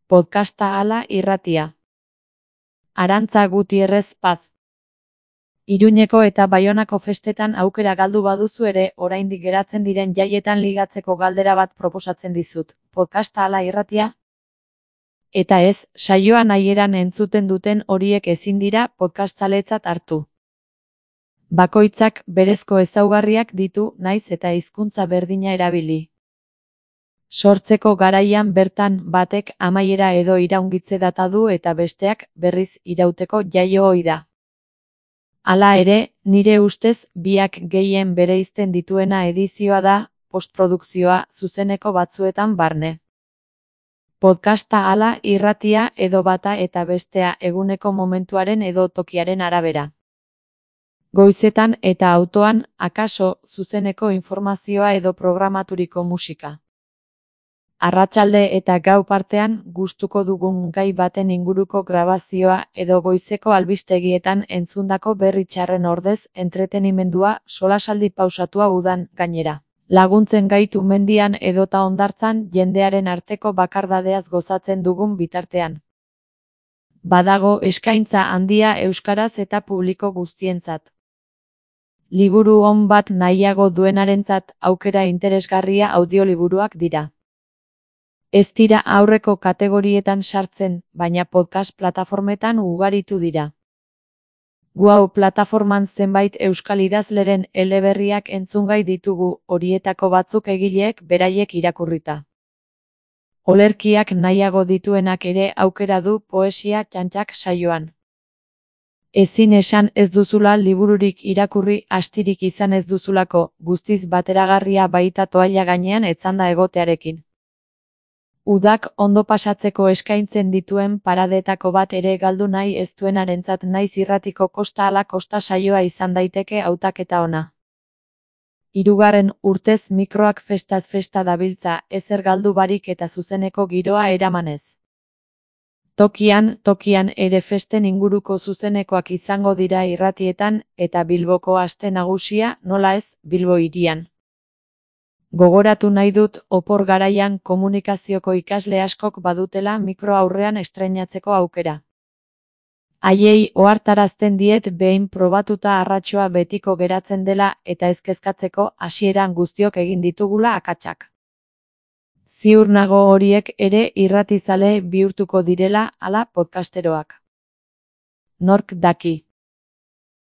Podcasta ala irratia. Arantza Gutierrez Paz. Iruñeko eta Baionako festetan aukera galdu baduzu ere, oraindik geratzen diren jaietan ligatzeko galdera bat proposatzen dizut. Podcasta ala irratia? Eta ez, saioa nahieran entzuten duten horiek ezin dira podcastzaletzat hartu. Bakoitzak berezko ezaugarriak ditu, naiz eta hizkuntza berdina erabili. Sortzeko garaian bertan batek amaiera edo iraungitze data du eta besteak berriz irauteko jaio ohi da. Hala ere, nire ustez biak gehien bereizten dituena edizioa da, postprodukzioa zuzeneko batzuetan barne. Podcasta ala irratia edo bata eta bestea eguneko momentuaren edo tokiaren arabera. Goizetan eta autoan, akaso, zuzeneko informazioa edo programaturiko musika. Arratsalde eta gau partean gustuko dugun gai baten inguruko grabazioa edo goizeko albistegietan entzundako berri txarren ordez entretenimendua solasaldi pausatua udan gainera. Laguntzen gaitu mendian edota hondartzan jendearen arteko bakardadeaz gozatzen dugun bitartean. Badago eskaintza handia euskaraz eta publiko guztientzat. Liburu on bat nahiago duenarentzat aukera interesgarria audioliburuak dira. Ez dira aurreko kategorietan sartzen, baina podcast plataformetan ugaritu dira. Hau plataforman zenbait euskal idazleren eleberriak entzungai ditugu, horietako batzuk egileek beraiek irakurrita. Olerkiak nahiago dituenak ere aukera du poesia txantxak saioan. Ezin esan ez duzula libururik irakurri astirik izan ez duzulako, guztiz bateragarria baita toalla gainean etzanda egotearekin. Udak ondo pasatzeko eskaintzen dituen paradetako bat ere galdu nahi ez duenarentzat naiz irratiko kosta ala kosta saioa izan daiteke hautaketa ona. 3. urtez mikroak festaz festa dabiltza, ezer galdu barik eta zuzeneko giroa eramanez. Tokian ere festen inguruko zuzenekoak izango dira irratietan eta Bilboko aste nagusia, nola ez, Bilbo hirian. Gogoratu nahi dut opor garaian komunikazioko ikasle askok badutela mikro aurrean estreinatzeko aukera. Haiei ohartarazten diet behin probatuta arratsoa betiko geratzen dela eta ez kezkatzeko hasieran guztiok egin ditugula akatsak. Ziur nago horiek ere irratizale bihurtuko direla ala podcasteroak. Nork daki.